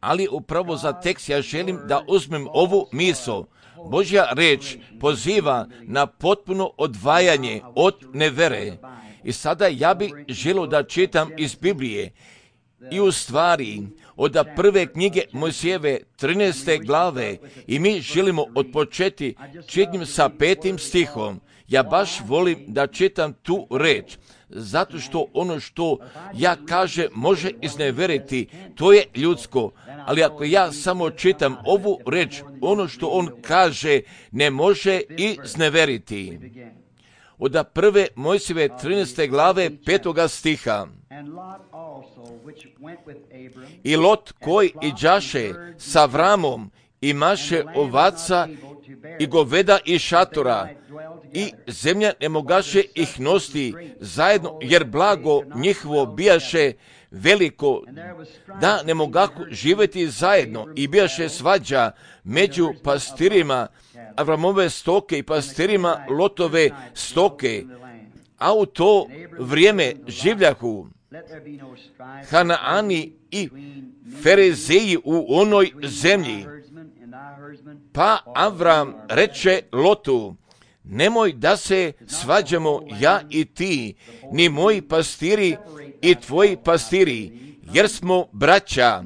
Ali upravo za tekst ja želim da uzmem ovu misao. Božja reč poziva na potpuno odvajanje od nevere. I sada ja bih želio da čitam iz Biblije. I u stvari, od prve knjige Mojsijeve 13. glave, i mi želimo odpočeti čitanjem sa 5. stihom. Ja baš volim da čitam tu reč, zato što ono što ja kažem može izneveriti, to je ljudsko. Ali ako ja samo čitam ovu reč, ono što on kaže ne može izneveriti. Od prve Mojsijeve 13. glave 5. stiha. I Lot koji iđaše sa Avramom imaše ovaca i goveda i šatora, i zemlja ne mogaše ih nositi zajedno, jer blago njihovo bijaše veliko, da ne mogahu živjeti zajedno, i bijaše svađa među pastirima Avramove stoke i pastirima Lotove stoke. A u to vrijeme življahu Hanaani i Ferezeji u onoj zemlji. Pa Avram reče Lotu: nemoj da se svađamo ja i ti, ni moji pastiri i tvoji pastiri, jer smo braća.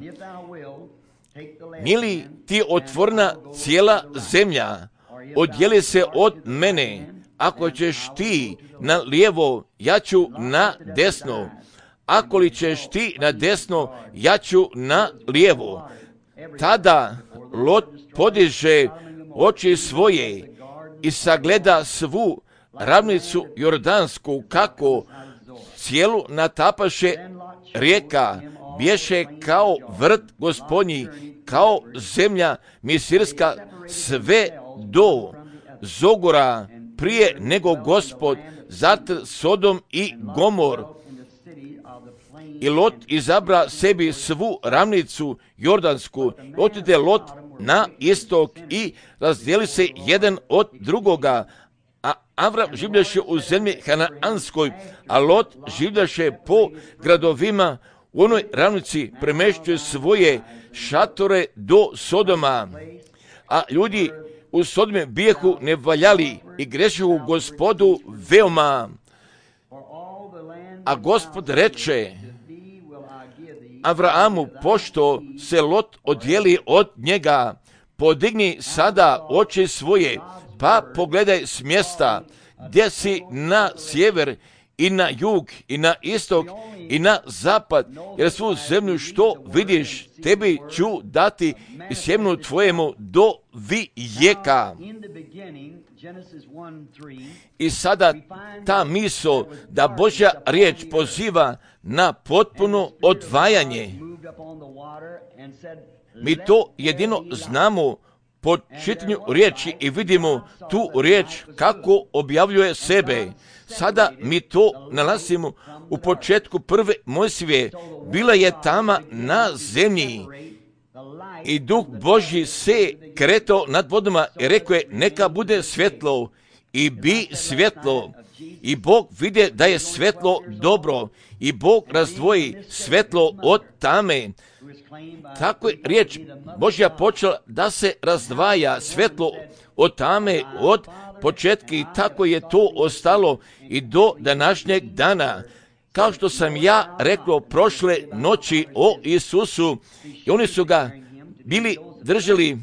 Nije li ti otvorna cijela zemlja? Odjeli se od mene. Ako ćeš ti na lijevo, ja ću na desno. Ako li ćeš ti na desno, ja ću na lijevo. Tada Lot podiže oči svoje i sagleda svu ravnicu Jordansku, kako cijelu natapaše rijeka, bješe kao vrt gospodnji, kao zemlja misirska, sve do Zogora, prije nego Gospod zatr Sodom i Gomor. I Lot izabra sebi svu ravnicu Jordansku. Otide Lot na istok i razdijeli se jedan od drugoga. A Avram življaše u zemlji Hanaanskoj, a Lot življaše po gradovima u onoj ravnici, premještuje svoje šatore do Sodoma. A ljudi u Sodome bijehu nevaljali i grešihu Gospodu veoma. A Gospod reče Avraamu, pošto se Lot odjeli od njega, podigni sada oči svoje, pa pogledaj s mjesta gdje si na sjever i na jug i na istok i na zapad, jer svu zemlju što vidiš tebi ću dati i sjemenu tvojemu do vijeka. I sada ta misao da Božja riječ poziva na potpuno odvajanje. Mi to jedino znamo po čitanju riječi i vidimo tu riječ kako objavljuje sebe. Sada mi to nalazimo u početku prve Mojsijeve. Bila je tama na zemlji i Duh Božji se kretao nad vodama i rekao je: neka bude svjetlo, i bi svjetlo. I Bog vide da je svjetlo dobro i Bog razdvoji svjetlo od tame. Tako je riječ Božja počela da se razdvaja svjetlo od tame od početka, i tako je to ostalo i do današnjeg dana. Kao što sam ja rekao prošle noći o Isusu, i oni su ga bili držali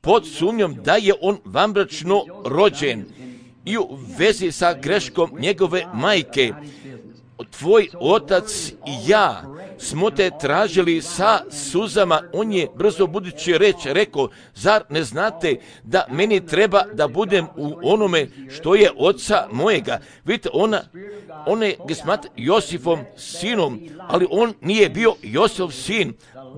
pod sumnjom da je on vanbračno rođen i u vezi sa greškom njegove majke. Tvoj otac i ja smo te tražili sa suzama. On je brzo budući rekao: zar ne znate da meni treba da budem u onome što je oca mojega? Vidite, on je ga smatra Josifom sinom, ali on nije bio Josif sin.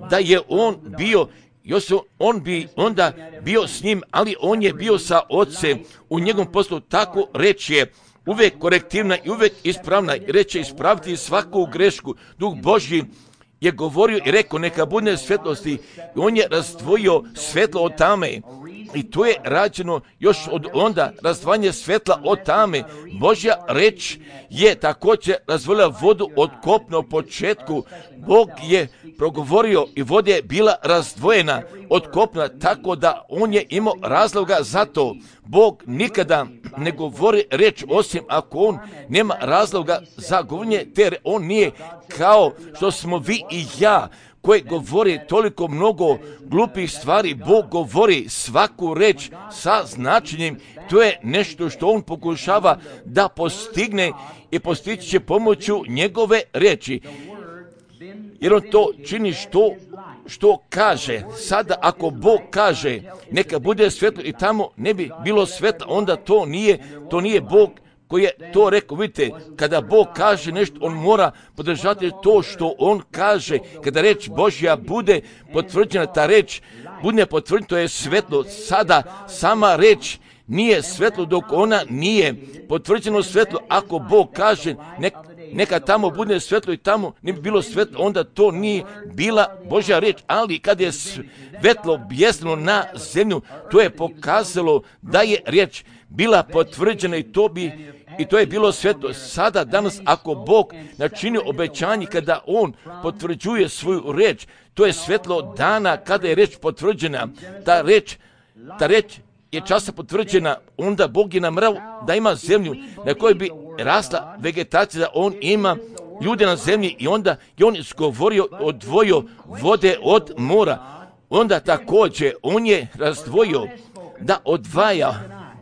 Da je on bio Josif, on bi onda bio s njim, ali on je bio sa ocem u njegovom poslu. Tako reći je uvijek korektivna i uvijek ispravna. Reče ispraviti svaku grešku. Duh Božji je govorio i rekao: neka bude svjetlosti. I on je razdvojio svjetlo od tame. I to je rađeno još od onda, razdvajanje svetla od tame. Božja reč je također razvojila vodu od kopna u početku. Bog je progovorio i voda je bila razdvojena od kopna, tako da on je imao razloga za to. Bog nikada ne govori reč osim ako on nema razloga za govorenje, te on nije kao što smo vi i ja, koji govori toliko mnogo glupih stvari. Bog govori svaku reč sa značenjem. To je nešto što on pokušava da postigne i postići će pomoću njegove reči. Jer on to čini što kaže. Sada ako Bog kaže neka bude svetlo i tamo ne bi bilo svetla, onda to nije Bog koji je to rekao. Vidite, kada Bog kaže nešto, on mora podržati to što on kaže. Kada reč Božja bude potvrđena, ta reč bude potvrđena, to je svetlo. Sada sama reč nije svetlo dok ona nije potvrđeno svetlo. Ako Bog kaže neka tamo bude svetlo i tamo ne bi bilo svetlo, onda to nije bila Božja reč. Ali kad je svetlo bjesno na zemlju, to je pokazalo da je riječ bila potvrđena i to je bilo svetlo. Sada, danas, ako Bog načini obećanje kada on potvrđuje svoju reč, to je svetlo dana kada je reč potvrđena. Ta reč je časa potvrđena, onda Bog je namrao da ima zemlju na kojoj bi rasla vegetacija, da on ima ljude na zemlji i onda je on izgovorio, odvojio vode od mora. Onda također on je razdvojio da odvaja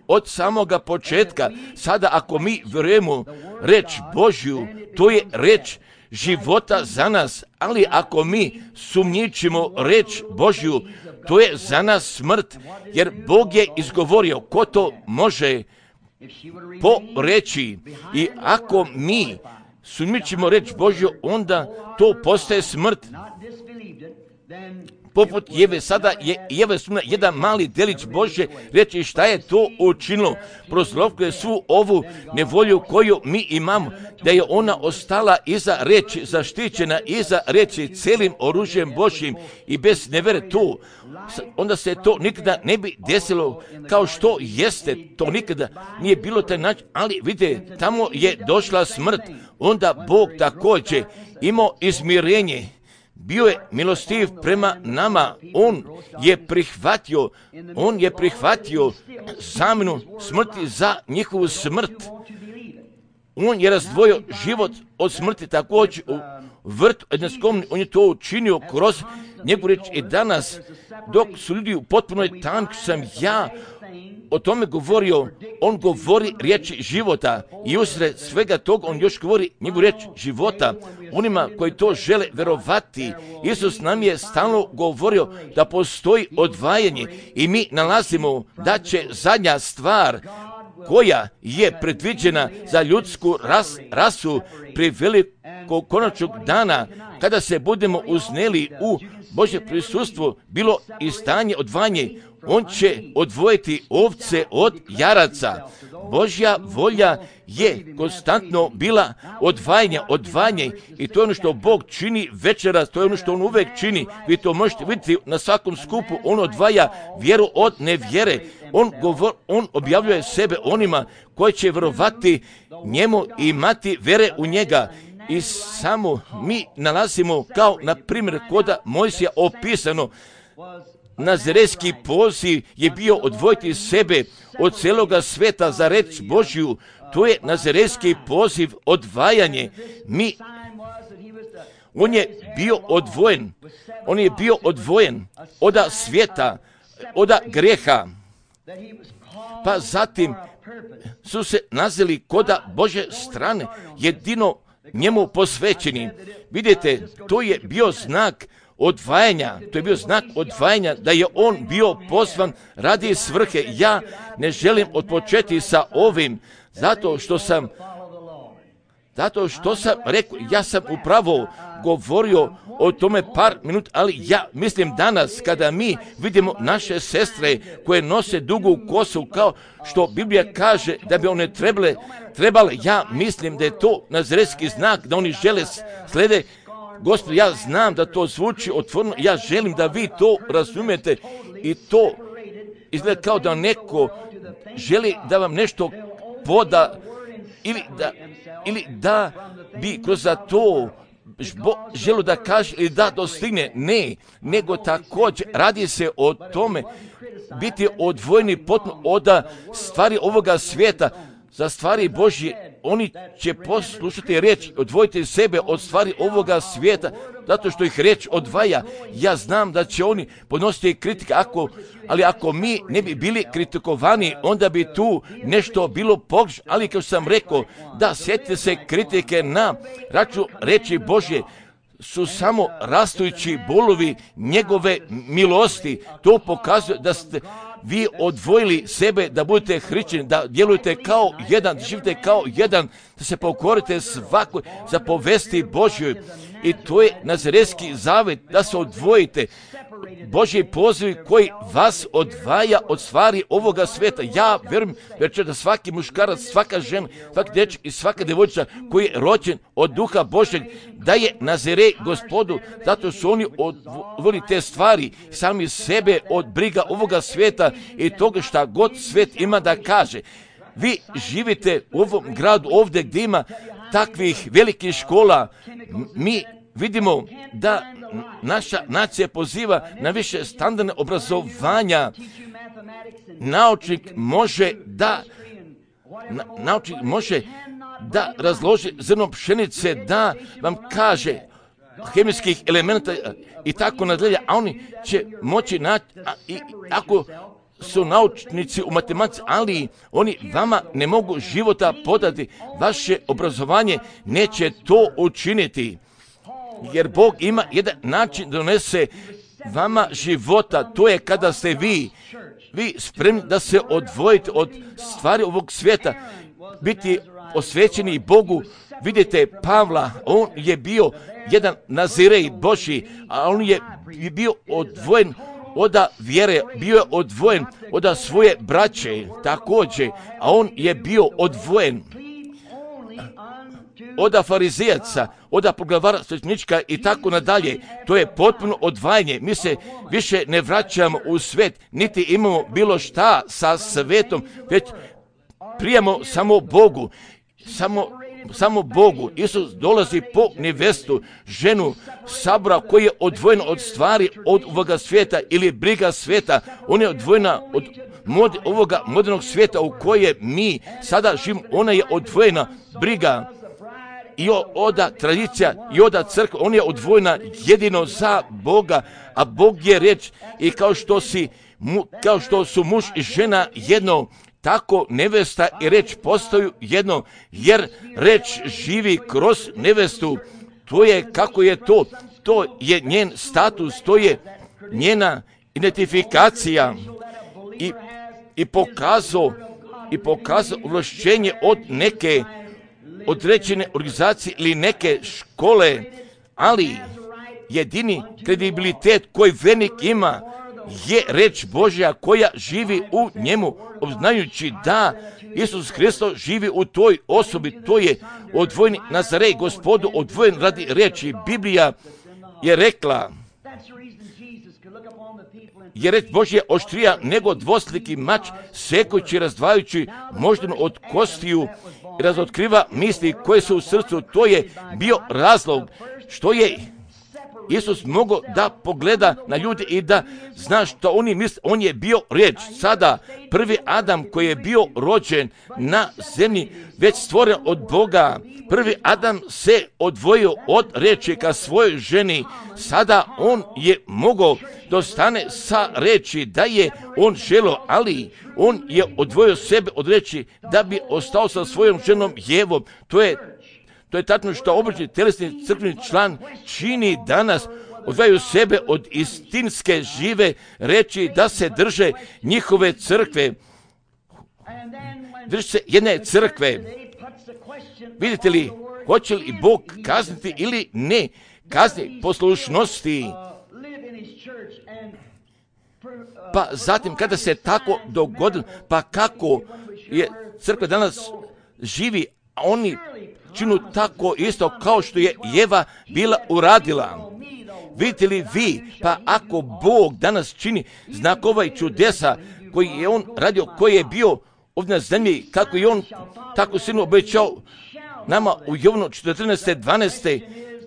od samoga početka. Sada ako mi vjerujemo reč Božju, to je reč života za nas, ali ako mi sumnjičimo reč Božju, to je za nas smrt, jer Bog je izgovorio, ko to može poreći. I ako mi sumnjičimo reč Božju, onda to postaje smrt. Poput Jeve, sada je Jeva sumnja jedan mali delić Božje reći. Šta je to učinilo? Prozlovkuje svu ovu nevolju koju mi imamo, da je ona ostala iza reči, zaštićena iza reči cijelim oružjem Božjim i bez nevere tu. Onda se to nikada ne bi desilo kao što jeste. To nikada nije bilo taj način, ali vidite, tamo je došla smrt. Onda Bog također imao izmirenje. Bio je milostiv prema nama. On je prihvatio zamjenu smrti za njihovu smrt. On je razdvojio život od smrti također u vrtu Edenskom. On je to učinio kroz njegovu riječ. I danas, dok su ljudi u potpunoj tanku, sam ja o tome govorio. On govori riječi života i usred svega toga on još govori njegovu riječ života onima koji to žele verovati. Isus nam je stalno govorio da postoji odvajanje i mi nalazimo da će zadnja stvar koja je predviđena za ljudsku rasu pri velikog konačnog dana, kada se budemo uzneli u Božje prisustvo, bilo i stanje odvajanje. On će odvojiti ovce od jaraca. Božja volja je konstantno bila odvajanje i to je ono što Bog čini večeras, to je ono što on uvek čini. Vi to možete vidjeti na svakom skupu. On odvaja vjeru od nevjere. On objavljuje sebe onima koji će vjerovati njemu i imati vere u njega. I samo mi nalazimo, kao na primjer kod Mojsija opisano, Nazirejski poziv je bio odvojiti sebe od cijeloga sveta za reč Božju. To je Nazirejski poziv, odvajanje. On je bio odvojen od svijeta, od grijeha. Pa zatim su se nazeli kod Božje strane, jedino njemu posvećeni. Vidite, to je bio znak odvajanja, da je on bio pozvan radi svrhe. Ja ne želim odpočeti sa ovim, zato što sam rekao, ja sam upravo govorio o tome par minuta, ali ja mislim danas kada mi vidimo naše sestre koje nose dugu kosu, kao što Biblija kaže da bi one trebale, ja mislim da je to nazirejski znak, da oni žele slede. Gospod, ja znam da to zvuči otvoreno, ja želim da vi to razumijete i izgleda kao da neko želi da vam nešto poda ili da bi kroz to želu da kaže ili da dostigne. Ne, nego također radi se o tome biti odvojeni potpuno od stvari ovoga svijeta za stvari Božje. Oni će poslušati riječ, odvojiti sebe od stvari ovoga svijeta, zato što ih riječ odvaja. Ja znam da će oni podnositi kritike, ali ako mi ne bi bili kritikovani, onda bi tu nešto bilo pogrešno. Ali kao sam rekao, da sjetite se kritike na račun riječi Božje, su samo rastujući bolovi njegove milosti. To pokazuje da ste vi odvojili sebe da budete hrišćani, da djelujete kao jedan, da živite kao jedan, da se pokorite svakoj zapovesti Božjoj. I to je nazaretski zavet, da se odvojite. Božji poziv koji vas odvaja od stvari ovoga svijeta. Ja vjerujem da svaki muškarac, svaka žena, svaki dečak i svaka djevojčica koji je rođen od Duha Božjeg, da je Nazaret Gospodu, zato su oni odvojili te stvari, sami sebe od briga ovoga svijeta i toga šta god svijet ima da kaže. Vi živite u ovom gradu ovdje gdje ima takvih velikih škola. Mi vidimo da naša nacija poziva na više standardne obrazovanja. Naučnik može da razloži zrno pšenice, da vam kaže hemijskih elementa i tako nadalje, a oni će moći naći, ako su naučnici u matematici, ali oni vama ne mogu života podati. Vaše obrazovanje neće to učiniti. Jer Bog ima jedan način da donese vama života, to je kada ste vi spremni da se odvojite od stvari ovog svijeta, biti osvećeni Bogu. Vidite Pavla, on je bio jedan Nazirej Božji, a on je bio odvojen od vjere, bio je odvojen od svoje braće također, a on je bio odvojen od farizejaca, od poglavara svećenička i tako nadalje. To je potpuno odvajanje. Mi se više ne vraćamo u svet, niti imamo bilo šta sa svetom, već prijemo samo Bogu. Samo Bogu. Isus dolazi po nevestu, ženu sabora koji je odvojena od stvari od ovoga svijeta ili briga svijeta. Ona je odvojena od ovoga modernog svijeta u koje mi sada živimo. Ona je odvojena briga i od tradicija i od crkve. On je odvojena jedino za Boga, a Bog je riječ. I kao što su muž i žena jedno, tako nevesta i reč postaju jedno, jer reč živi kroz nevestu. To je kako je to. To je njen status, to je njena identifikacija i pokazao ovlašćenje od neke određene organizacije ili neke škole, ali jedini kredibilitet koji vjernik ima je reč Božja koja živi u njemu, obznajući da Isus Hristos živi u toj osobi. To je odvojeni Nazaret Gospodu, odvojen radi reči. Biblija je rekla, je reč Božja oštrija nego dvosliki mač, sekući, razdvajajući moždinu od kostiju i razotkriva misli koje su u srcu. To je bio razlog što je Isus mogao da pogleda na ljude i da zna što oni misle. On je bio riječ. Sada prvi Adam koji je bio rođen na zemlji, već stvoren od Boga. Prvi Adam se odvojio od riječi ka svojoj ženi. Sada on je mogao dostane sa riječi da je on želio, ali on je odvojio sebe od riječi da bi ostao sa svojom ženom Jevom. To je tačno što obični telesni crkveni član čini danas. Odvajaju sebe od istinske žive reči da se drže njihove crkve. Drži se jedne crkve. Vidite li, hoće li Bog kazniti ili ne kazni poslušnosti? Pa zatim kada se tako dogodilo, pa kako je crkva danas živi, a oni činu tako isto kao što je Jeva bila uradila. Vidite li vi, pa ako Bog danas čini znakova i čudesa, koji je on radio, koji je bio ovdje na zemlji, kako je on tako silno obećao nama u Jovanu 14.12.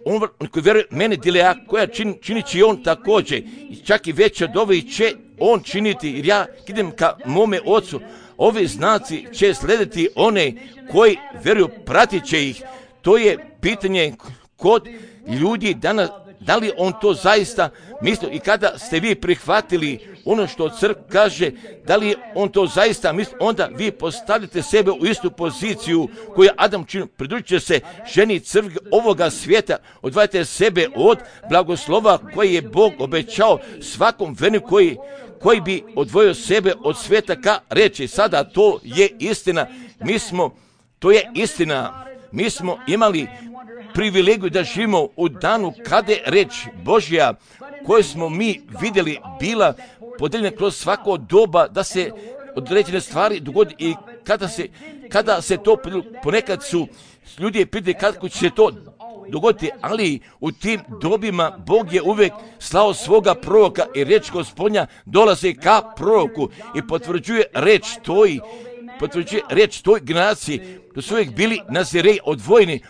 On koji vjeruje mene dilea, koja činit će on također, čak i veće od ovih će on činiti, jer ja idem ka mome ocu. Ovi znaci će slediti one koji vjeruju, pratit će ih. To je pitanje kod ljudi danas, da li on to zaista misli, i kada ste vi prihvatili ono što crkva kaže, da li on to zaista misli, onda vi postavite sebe u istu poziciju koju Adam čini, pridružit će se ženi crkve ovoga svijeta, odvajate sebe od blagoslova koji je Bog obećao svakom verniku koji bi odvojio sebe od svijeta ka reći. Sada to je istina, to je istina. Mi smo imali privilegiju da živimo u danu kada je reč Božja koju smo mi vidjeli bila podeljena kroz svako doba da se određene stvari dogodi i kada se to ponekad su ljudi pitali kako će se to dogoditi, ali u tim dobima Bog je uvijek slao svoga proroka i reč Gospodnja dolazi ka proroku i potvrđuje reč toj generaciji. To su uvijek bili Nazireji odvojeni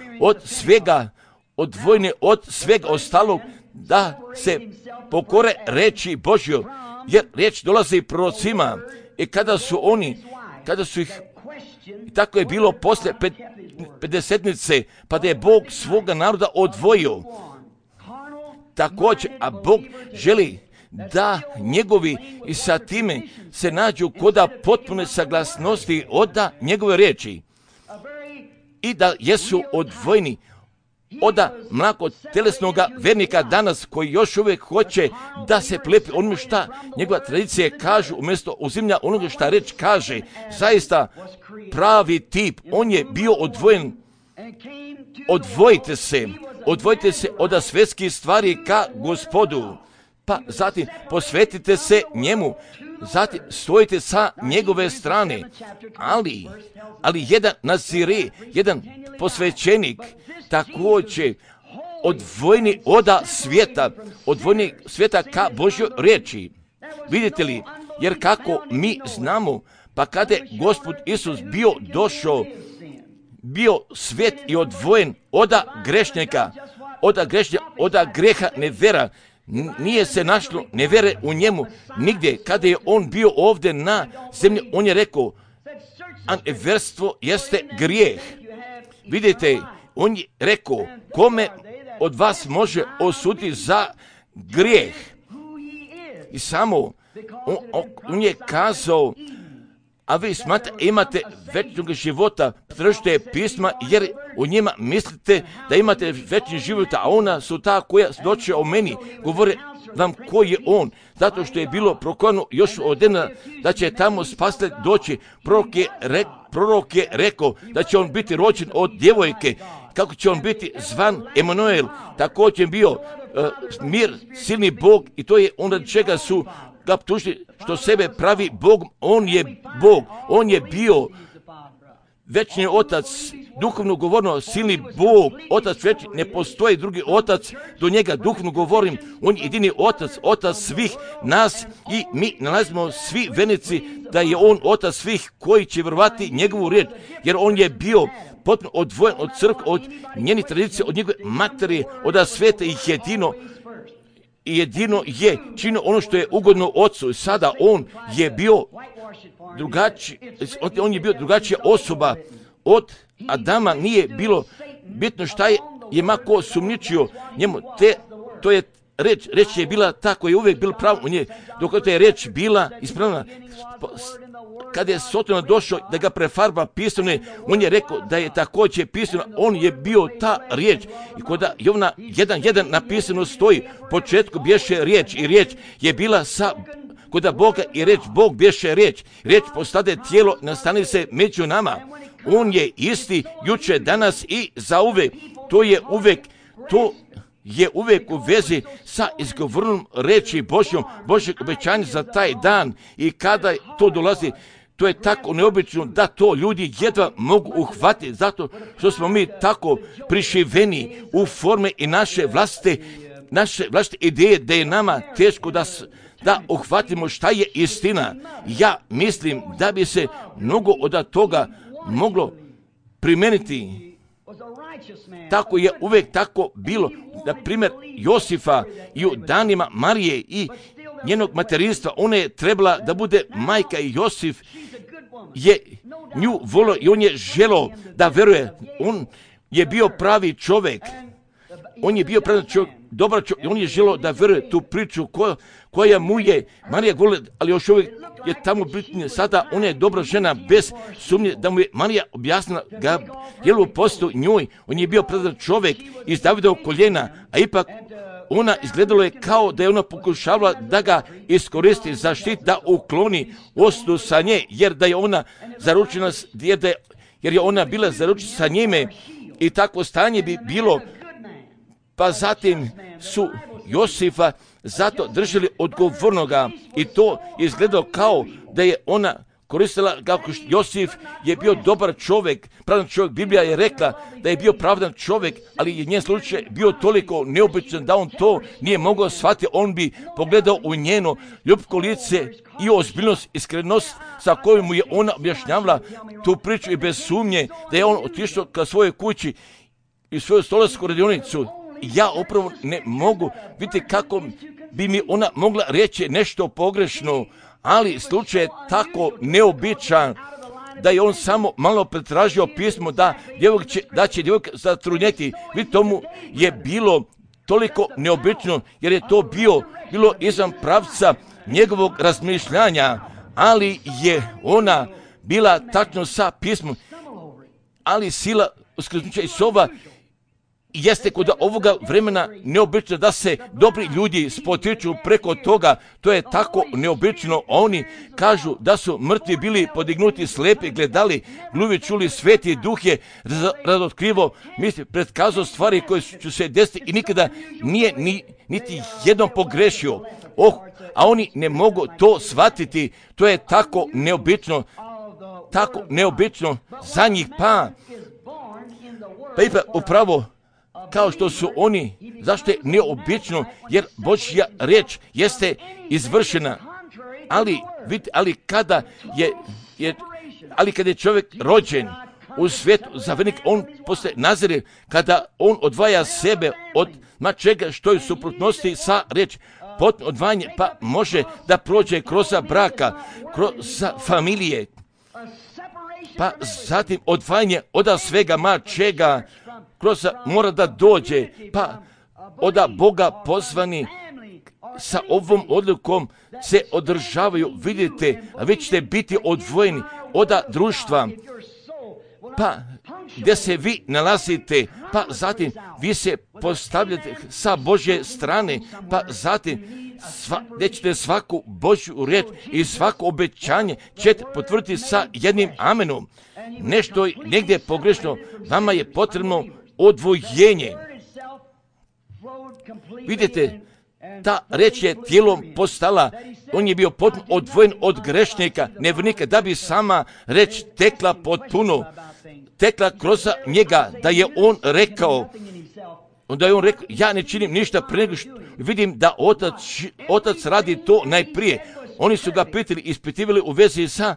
od svega ostalog, da se pokore reči Božjoj, jer riječ dolazi prorocima i kada su ih, i tako je bilo posle pedesetnice, pa da je Bog svoga naroda odvojio. Također, a Bog želi da njegovi i sa time se nađu koda potpune saglasnosti od njegove riječi i da jesu odvojeni od mlakog telesnoga vernika danas koji još uvijek hoće da se plepi onome šta njegova tradicija kaže umjesto uzimlja onoga šta reč kaže. Zaista pravi tip, on je bio odvojen. Odvojite se od svjetskih stvari ka Gospodu, pa zatim posvetite se njemu, zatim stojite sa njegove strane, ali jedan nazire, jedan posvećenik, također odvojeni od svijeta ka Božjoj riječi. Vidite li, jer kako mi znamo, pa kada je Gospod Isus bio svet i odvojen od grešnika, od greha nevera, nije se našlo nevere u njemu nigdje. Kada je on bio ovdje na zemlji, on je rekao, a neverstvo jeste grijeh. Vidite, on je rekao, kome od vas može osuditi za grijeh? I samo, on je kazao, a vi imate večnog života, tražite pisma, jer u njima mislite da imate večni život, a ona su ta koja svjedoče o meni, govore vam ko je on, zato što je bilo prokazano još od dana da će tamo spasitelj doći. Prorok je rekao da će on biti rođen od djevojke, kako će on biti zvan Emanuel, također je bio mir, silni Bog, i to je onda čega su ga optužili što sebe pravi Bogom. On je Bog, on je bio večni otac, duhovno govorno silni Bog, otac večni, ne postoji drugi otac do njega, duhovno govorim, on je jedini otac svih nas i mi nalazimo svi vernici da je on otac svih koji će vjerovati njegovu riječ, jer on je bio potpuno odvojen od crkve, od njenih tradicija, od njegove materije, od svijeta i jedino je činio ono što je ugodno ocu. Sada on je bio drugačija osoba od Adama. Nije bilo bitno šta je mako sumnjičio njemu. To je reč je bila ta koja je uvijek bila prava u njej, dok je reč bila ispravna. Kada je Sotona došao da ga prefarba pisane, on je rekao da je također pisano, on je bio ta riječ. I kod Jovana 1.1 napisano stoji, u početku bješe riječ i riječ je bila kod Boga i reč, Bog bješe riječ. Riječ postade tijelo, nastane se među nama. On je isti jučer, danas i zauvek. To je uvijek u vezi sa izgovornom reči Božjeg obećanja za taj dan. I kada to dolazi, to je tako neobično da to ljudi jedva mogu uhvatiti, zato što smo mi tako prišiveni u forme i naše vlastite ideje, da je nama teško da uhvatimo šta je istina. Ja mislim da bi se mnogo od toga moglo primijeniti. Tako je uvijek tako bilo. Na primjer, Josifa i u danima Marije i njenog materinstva, ona je trebala da bude majka i Josif je nju volio i on je želio da veruje. On je bio pravi čovjek. On je bio pravi čovjek, dobar čovjek. On je želio da veruje tu priču koja mu je Marija govorila, ali još uvijek je tamo bitnije. Sada ona je dobra žena bez sumnje da mu je Marija objasnila Gabrielu postu njoj. On je bio pravi čovjek iz Davidovog koljena, a ipak ona izgledalo je kao da je ona pokušavala da ga iskoristi za štit, da ukloni osudu sa nje, jer da je ona zaručena, jer je ona bila zaručena sa njime i takvo stanje bi bilo. Pa zatim su Josifa zato držali odgovornoga i to izgledalo kao da je ona koristila, kako Josif je bio dobar čovjek, pravedan čovjek. Biblija je rekla da je bio pravedan čovjek, ali je njen slučaj bio toliko neobičan da on to nije mogao shvatiti. On bi pogledao u njeno ljubko lice i ozbiljnost, iskrenost sa kojom mu je ona objašnjavala tu priču i bez sumnje da je on otišao ka svojoj kući i svoju stolarsku radionicu. Ja upravo ne mogu vidjeti kako bi mi ona mogla reći nešto pogrešno, ali slučaj je tako neobičan da je on samo malo pretražio pismo da će djevojka zatrudnjeti. Vidite, tomu je bilo toliko neobično jer je to bilo izvan pravca njegovog razmišljanja, ali je ona bila tačno sa pismom, ali sila uskrsnuća Isova jeste kod ovoga vremena neobično da se dobri ljudi spotiču preko toga. To je tako neobično. Oni kažu da su mrtvi bili podignuti, slepi gledali, gluvi čuli, Sveti Duh je razotkrivo, predkazao stvari koje će se desiti i nikada nije niti jednom pogrešio. A oni ne mogu to shvatiti. To je tako neobično za njih. Pa ipak upravo kao što su oni, zašto je neobično, jer Božja riječ jeste izvršena, ali kada je čovjek rođen u svijetu za vernik, on postaje Nazaret, kada on odvaja sebe od čega što je suprotnosti sa riječ, potpuno odvajanje, pa može da prođe kroz braka, kroz familije, pa zatim odvajanje od svega čega kroz mora da dođe, pa od Boga pozvani sa ovom odlukom se održavaju, vidite, a vi ćete biti odvojeni od društva, pa gdje se vi nalazite, pa zatim vi se postavljate sa Božje strane, pa zatim gdje ćete svaku Božju riječ i svako obećanje ćete potvrditi sa jednim amenom. Nešto je negdje pogrešno, vama je potrebno odvojenje. Vidite, ta reč je tijelom postala, on je bio potpuno odvojen od grešnika, nevjernika, da bi sama reč tekla potpuno, tekla kroz njega, da je on rekao, ja ne činim ništa prije nego što vidim da otac radi to najprije. Oni su ga pitali, ispitivali u vezi sa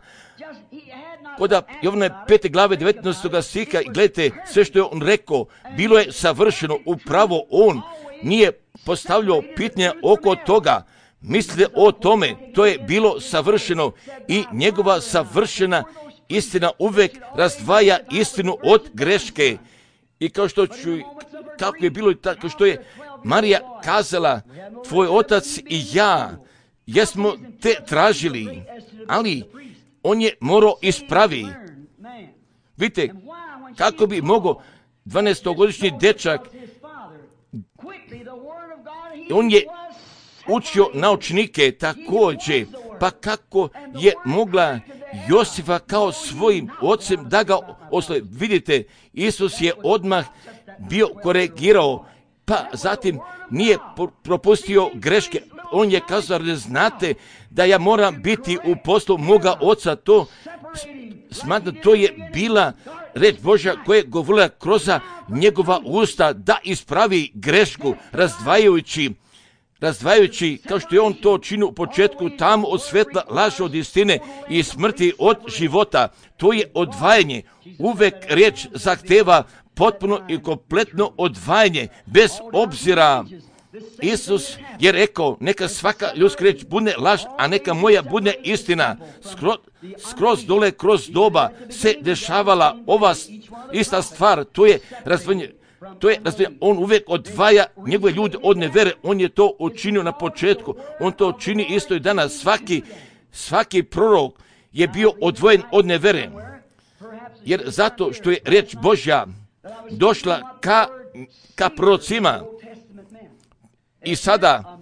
kod Jovana 5. glave 19. stiha, i gledajte, sve što je on rekao, bilo je savršeno, upravo on nije postavljao pitanja oko toga. Mislite o tome, to je bilo savršeno i njegova savršena istina uvijek razdvaja istinu od greške. I kako je bilo, tako što je Marija kazala, tvoj otac i ja jesmo te tražili, ali on je morao ispravi. Vidite, kako bi mogao 12-godišnji dečak, on je učio naučnike također, pa kako je mogla Josifa kao svojim ocem da ga oslovi. Vidite, Isus je odmah bio korigirao, pa zatim nije propustio greške. On je kazao, ne znate da ja moram biti u poslu moga oca. To smatram, to je bila reč Božja koja je govorila kroz njegova usta da ispravi grešku, razdvajajući razdvajajući, kao što je on to činio u početku, tamo od svetla, laž od istine i smrti od života. To je odvajanje. Uvek riječ zahteva potpuno i kompletno odvajanje, bez obzira. Isus je rekao, neka svaka ljudska riječ bude laž, a neka moja bude istina. Skroz dole, kroz doba se dešavala ova ista stvar, to je razdvajanje. On uvijek odvaja njegove ljude od nevere. On je to učinio na početku. On to čini isto i danas. Svaki prorok je bio odvojen od nevere. Jer zato što je riječ Božja došla ka prorocima. I sada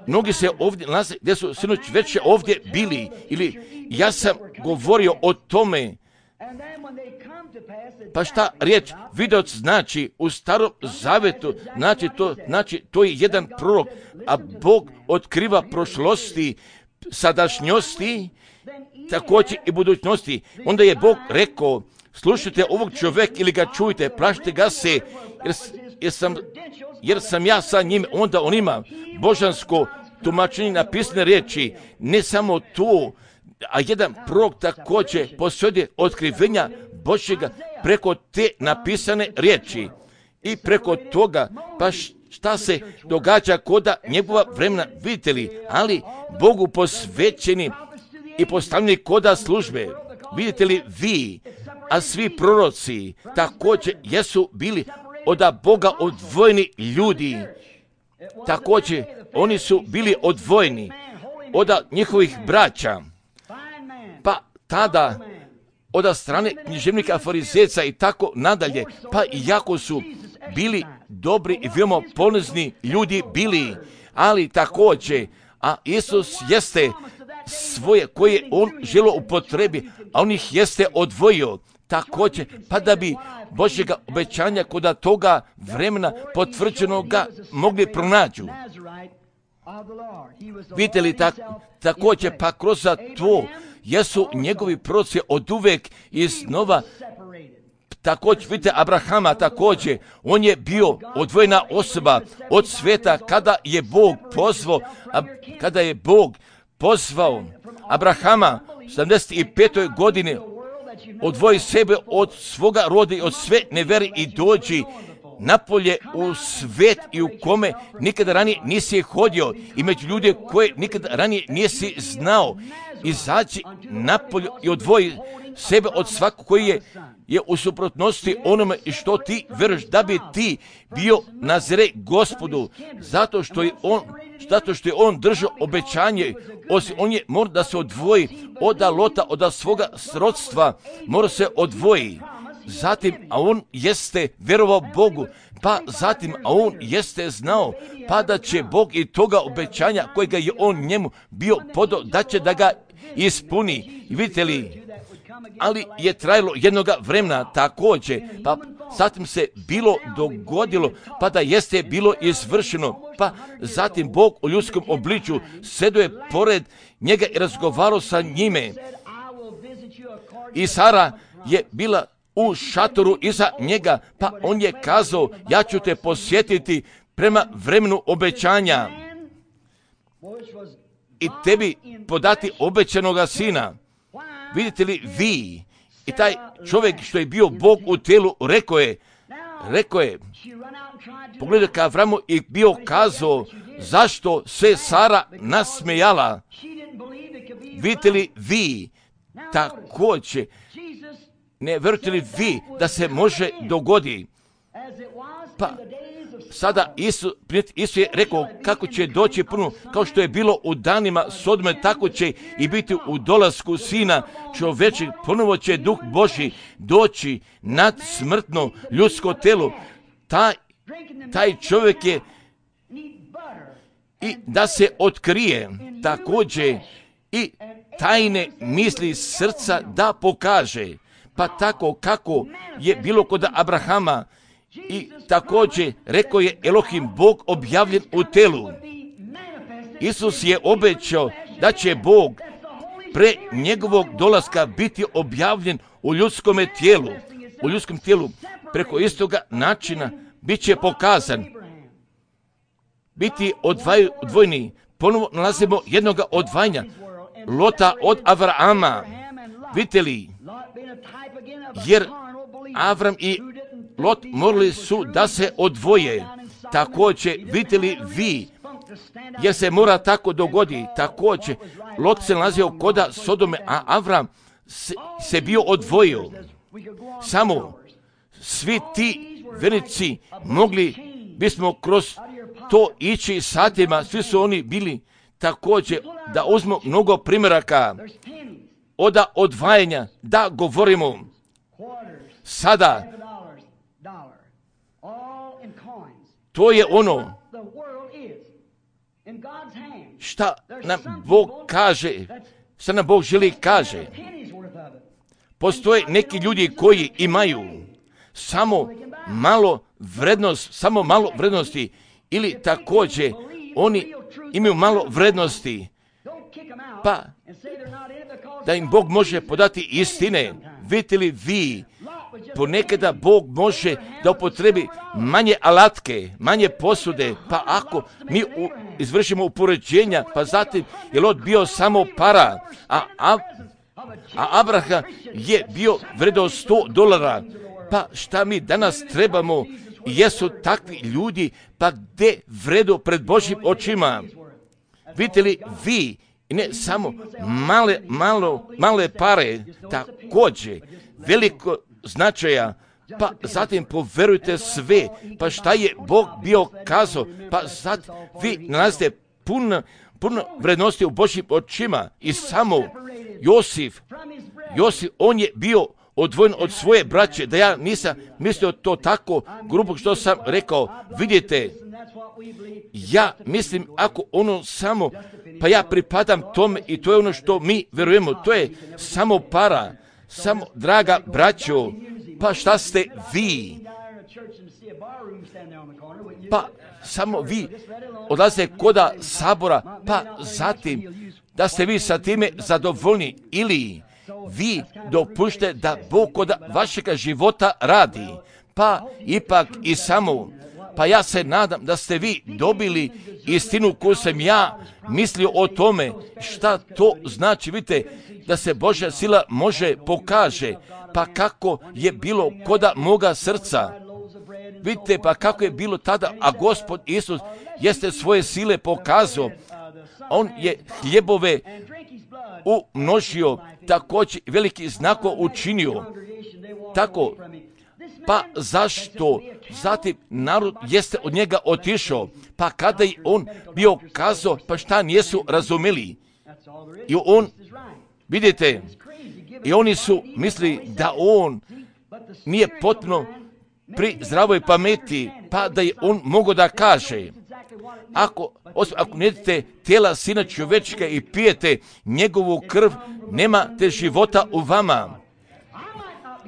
mnogi se ovdje nalaze gdje su sinoć već ovdje bili. Ili ja sam govorio o tome. Pa šta riječ vidoc znači u Starom Zavetu? Znači to je jedan prorok, a Bog otkriva prošlosti, sadašnjosti, također i budućnosti. Onda je Bog rekao, slušajte ovog čovjeka ili ga čujte, plašite ga se, jer sam ja sa njim. Onda on ima božansko tumačenje napisane riječi, ne samo to, a jedan prorok također posjeduje otkrivenja Božjega preko te napisane riječi. I preko toga, pa šta se događa koda njegova vremena, vidite li, ali Bogu posvećeni i postavljeni koda službe. Vidite li vi, a svi proroci također jesu bili od Boga odvojeni ljudi. Također oni su bili odvojeni od njihovih braća. Pa tada od strane književnika, farizeca i tako nadalje, pa iako su bili dobri i veoma ponozni ljudi bili, ali također, a Isus jeste svoje koje on želio upotrebi, a on ih jeste odvojio također, pa da bi Božjega obećanja kod toga vremena potvrđenoga mogli pronađu. Vidite li također, pa kroz to jesu njegovi proroci od uvek iznova. Također vidite Abrahama, također on je bio odvojena osoba od sveta kada je Bog pozvao Abrahama u 75. godini, odvoji sebe od svoga roda i od sve nevere i dođi napolje u svet i u kome nikada ranije nisi hodio i među ljude koje nikada ranije nisi znao. Izaći napolje i odvoji sebe od svakog koji je u suprotnosti onome i što ti veruješ, da bi ti bio nazire Gospodu, zato što je on držao obećanje. On je mora da se odvoji od Lota, od svoga srodstva, mora se odvoji. Zatim, a on jeste verovao Bogu, pa zatim, a on jeste znao, pa da će Bog i toga obećanja kojega je on njemu bio podao, da će da ga ispuni. I vidite li, ali je trajalo jednoga vremena također, pa zatim se bilo dogodilo, pa da jeste bilo izvršeno, pa zatim Bog u ljudskom obličju sedo je pored njega i razgovarao sa njime. I Sara je bila u šatoru iza njega, pa on je kazao, ja ću te posjetiti prema vremenu obećanja i tebi podati obećanoga sina. Vidite li vi, i taj čovjek što je bio Bog u telu rekao je, pogledaj ka Avramu i bio kazao, zašto se Sara nasmejala. Vidite li vi, također, ne verujete li vi da se može dogodi? Pa sada Isus je rekao kako će doći puno, kao što je bilo u danima Sodome, tako će i biti u dolasku Sina čovječeg. Ponovo će Duh Božji doći nad smrtno ljudsko telo. Taj čovjek je i da se otkrije također i tajne misli srca da pokaže. Pa tako kako je bilo kod Abrahama i također rekao je Elohim, Bog objavljen u telu. Isus je obećao da će Bog pre njegovog dolaska biti objavljen u ljudskom tijelu. Preko istoga načina bit će pokazan biti odvojeni. Ponovo nalazimo jednoga odvajanja. Lota od Avrama. Vidite li? Jer Avram i Lot morali su da se odvoje. Također, vidite li vi? Jer se mora tako dogoditi. Također, Lot se nalazio koda Sodome, a Avram se bio odvojio. Samo svi ti vernici mogli bismo kroz to ići satima, svi su oni bili također da uzmemo mnogo primjeraka od odvajanja, da govorimo sada. To je ono šta nam Bog kaže, šta nam Bog želi kaže. Postoje neki ljudi koji imaju samo malo vrednosti ili također oni imaju malo vrednosti, pa da im Bog može podati istine. Vidite li vi, ponekada Bog može da upotrebi manje alatke, manje posude, pa ako mi izvršimo upoređenja, pa zatim je Lot bio samo para, a Abraham je bio vredo $100, pa šta mi danas trebamo, jesu takvi ljudi, pa gde vredo pred Božjim očima. Vidite li vi, ne samo male pare, također veliko značaja, pa zatim poverujte sve, pa šta je Bog bio kazao, pa zatim vi nalazite puno vrednosti u Božjim očima. I samo Josif, on je bio odvojen od svoje braće, da ja nisam mislio to tako grubo što sam rekao. Vidite, ja mislim ako ono samo, pa ja pripadam tome i to je ono što mi verujemo, to je samo para, samo draga braćo, pa šta ste vi? Pa samo vi odlazite koda sabora, pa zatim da ste vi sa time zadovoljni ili vi dopušte da Bog kod vašega života radi, pa ipak i samo, pa ja se nadam da ste vi dobili istinu koju sam ja mislio o tome, šta to znači, vidite, da se Božja sila može pokaže, pa kako je bilo koda moga srca. Vidite, pa kako je bilo tada, a Gospod Isus jeste svoje sile pokazao, on je hljebove umnožio, također veliki znako učinio. Tako, pa zašto? Zatim narod jeste od njega otišao, pa kada je on bio kazao, pa šta nijesu razumeli. I on, vidite, i oni su mislili da on nije potpuno pri zdravoj pameti, pa da je on mogao da kaže, ako ne jedete tijela Sina čovječka i pijete njegovu krv, nemate života u vama.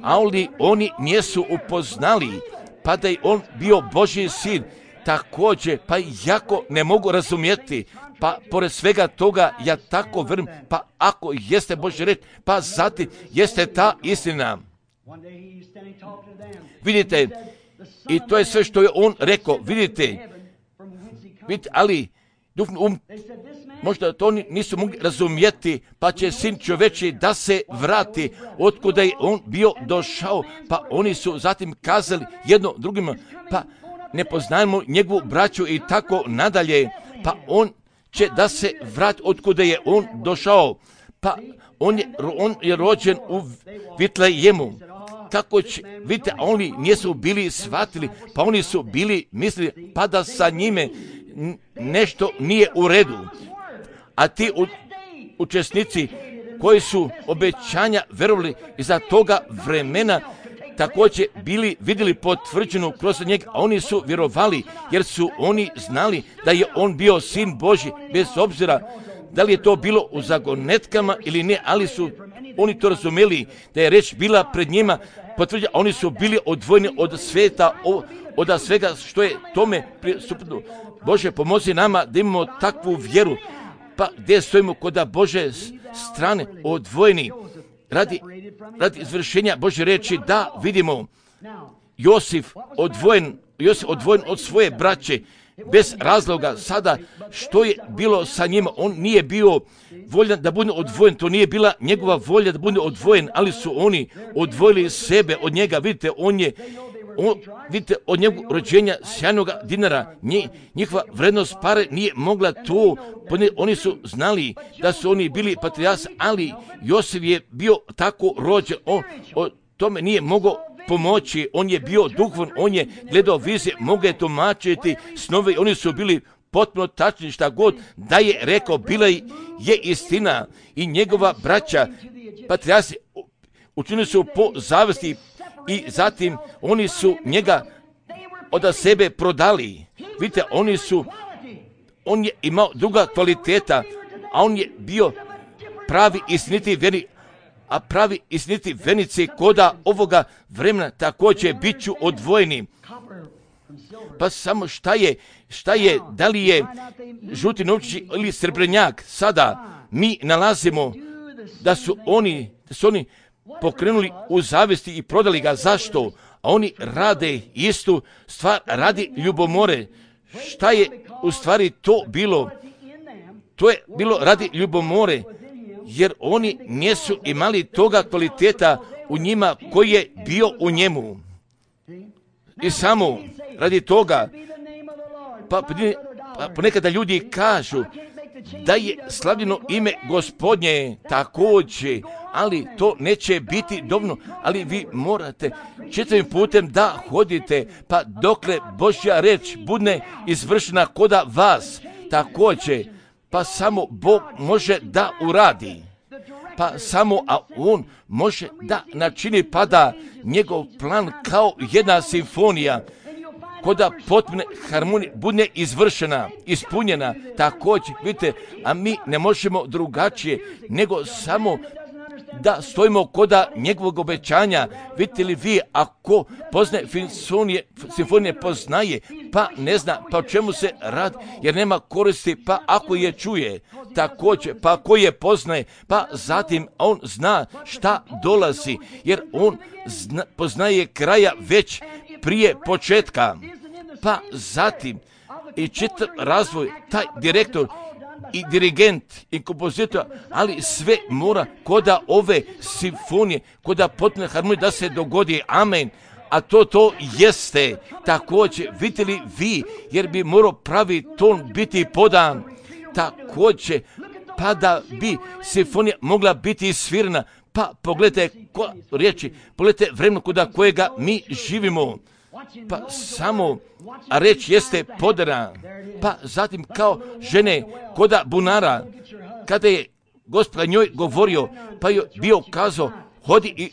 Ali oni nijesu upoznali, pa da je on bio Božji sin, također, pa jako ne mogu razumjeti, pa pored svega toga ja tako vrm, pa ako jeste Božja reč, pa zatim jeste ta istina. Vidite, i to je sve što je on rekao, vidite, ali možda to oni nisu mogli razumjeti, pa će Sin čovječji da se vrati otkuda je on bio došao, pa oni su zatim kazali jedno drugima, pa ne poznajemo njegovu braću i tako nadalje, pa on će da se vrati otkuda je on došao, pa on je rođen u Vitlejemu. Kako će, vidite, oni nisu bili shvatili, pa oni su bili mislili, pa da sa njime nešto nije u redu. A ti učesnici koji su obećanja verovali iza toga vremena, također bili vidjeli potvrđenu kroz njega, a oni su vjerovali, jer su oni znali da je on bio Sin Božji, bez obzira da li je to bilo u zagonetkama ili ne, ali su oni to razumeli, da je reč bila pred njima potvrđena, oni su bili odvojeni od sveta, od svega što je tome pristupno. Bože, pomozi nama da imamo takvu vjeru, pa gdje stojimo kod Bože strane, odvojeni, radi izvršenja Božje reči, da vidimo Josif odvojen od svoje braće, bez razloga sada što je bilo sa njima. On nije bio voljan da bude odvojen, to nije bila njegova volja da bude odvojen, ali su oni odvojili sebe od njega. Vidite, vidite, od njegovog rođenja sjajnog dinara, njihova vrednost pare nije mogla to, oni su znali da su oni bili patrijarsi, ali Josif je bio tako rođen, o tome nije mogao pomoći, on je bio duhovan, on je gledao vizije, mogao je tumačiti snove, oni su bili potpuno tačni, šta god da je rekao, bila je istina. I njegova braća, patrijarsi, učinili su po zavesti i zatim oni su njega od sebe prodali. Vidite, on je imao druga kvaliteta, a on je bio pravi istiniti vjernik, a pravi istiniti vjernici koda ovoga vremena također bit ću odvojeni. Pa samo šta je, da li je žuti novčić ili srebrnjak, sada mi nalazimo da su oni pokrenuli u zavesti i prodali ga. Zašto? A oni rade istu stvar, radi ljubomore. Šta je u stvari to bilo? To je bilo radi ljubomore, jer oni nisu imali toga kvaliteta u njima koji je bio u njemu. I samo radi toga, pa ponekada ljudi kažu da je slavljeno ime Gospodnje također, ali to neće biti dovoljno, ali vi morate čitavim putem da hodite, pa dokle Božja reč bude izvršena koda vas također, pa samo Bog može da uradi. Pa samo, a on može da načini, pa da njegov plan kao jedna simfonija, koda potpune harmonije bude izvršena, ispunjena također, vidite, a mi ne možemo drugačije, nego samo da stojimo koda njegovog obećanja. Vidite li vi, ako poznaje simfonije poznaje, pa ne zna, pa o čemu se radi, jer nema koristi, pa ako je čuje, također, pa ako je poznaje, pa zatim on zna šta dolazi, jer on poznaje kraja već prije početka. Pa zatim i čitav razvoj, taj direktor i dirigent i kompozitor, ali sve mora koda ove simfonije, koda potpune harmonije da se dogodi. Amen. A to jeste također, vidite li vi, jer bi morao pravi ton biti podan također, pa da bi simfonija mogla biti svirana. Pa pogledajte riječi, pogledajte vremenu koda kojega mi živimo. Pa samo, a reč jeste podana. Pa zatim kao žene koda bunara, kada je Gospod njoj govorio, pa je bio kazao, hodi i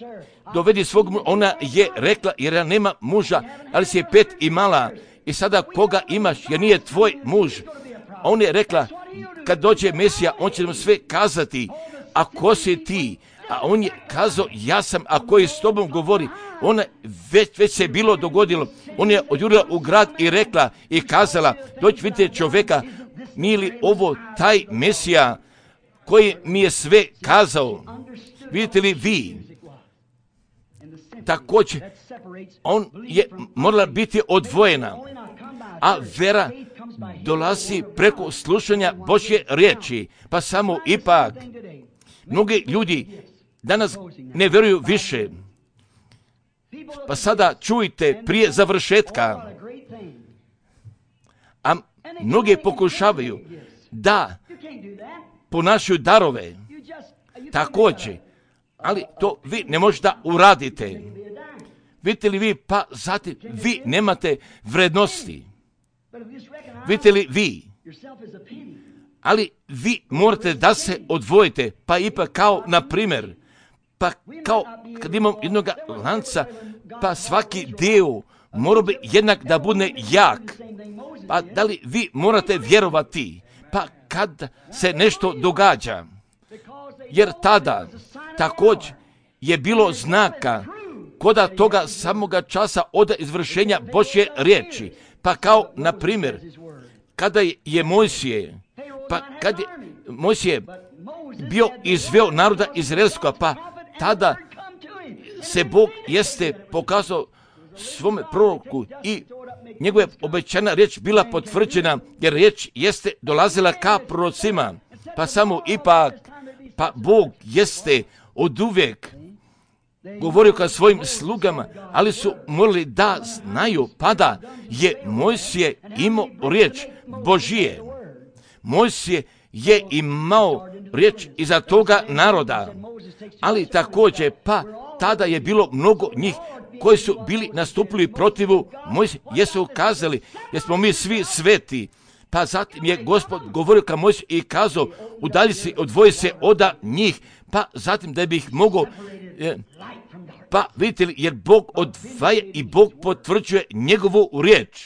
dovedi svog muža. Ona je rekla, jer ja nema muža, ali si je 5 imala. I sada koga imaš, jer nije tvoj muž. A on je rekla, kad dođe Mesija, on će nam sve kazati, a ko si ti? A on je kazao, ja sam, a koji s tobom govori. Ona već se bilo dogodilo. On je odjurila u grad i rekla i kazala, doći vidite čovjeka, nije li ovo taj Mesija koji mi je sve kazao? Vidite li vi? Također, on je morala biti odvojena, a vera dolazi preko slušanja Božje riječi. Pa samo ipak, mnogi ljudi danas ne vjeruju više. Pa sada čujte prije završetka, a mnogi pokušavaju da ponašaju darove također, ali to vi ne možete da uradite. Vidite li vi, pa zatim vi nemate vrednosti. Vidite li vi, ali vi morate da se odvojite, pa ipak kao na primjer, pa kao kad imam jednog lanca, pa svaki dio mora bi jednak da bude jak. Pa da li vi morate vjerovati, pa kad se nešto događa, jer tada također je bilo znaka koda toga samoga časa od izvršenja Božje riječi. Pa kao na primjer, kada je Mojsije, pa kad je Mojsije bio izveo naroda izraelskoga, pa tada se Bog jeste pokazao svome proroku i njegova obećana riječ bila potvrđena, jer riječ jeste dolazila ka prorocima, pa samo ipak, pa Bog jeste oduvijek govorio ka svojim slugama, ali su morali da znaju, pa da je Mojsije imao riječ Božije. Mojsije je imao riječ iza toga naroda, ali također, pa tada je bilo mnogo njih koji su bili nastupili protivu Mojsije, jesu kazali, jesmo mi svi sveti. Pa zatim je Gospod govorio ka Mojsiju i kazao, udalji se, odvoji se od njih, pa zatim da bi ih mogao, pa vidite li, jer Bog odvaja i Bog potvrđuje njegovu riječ.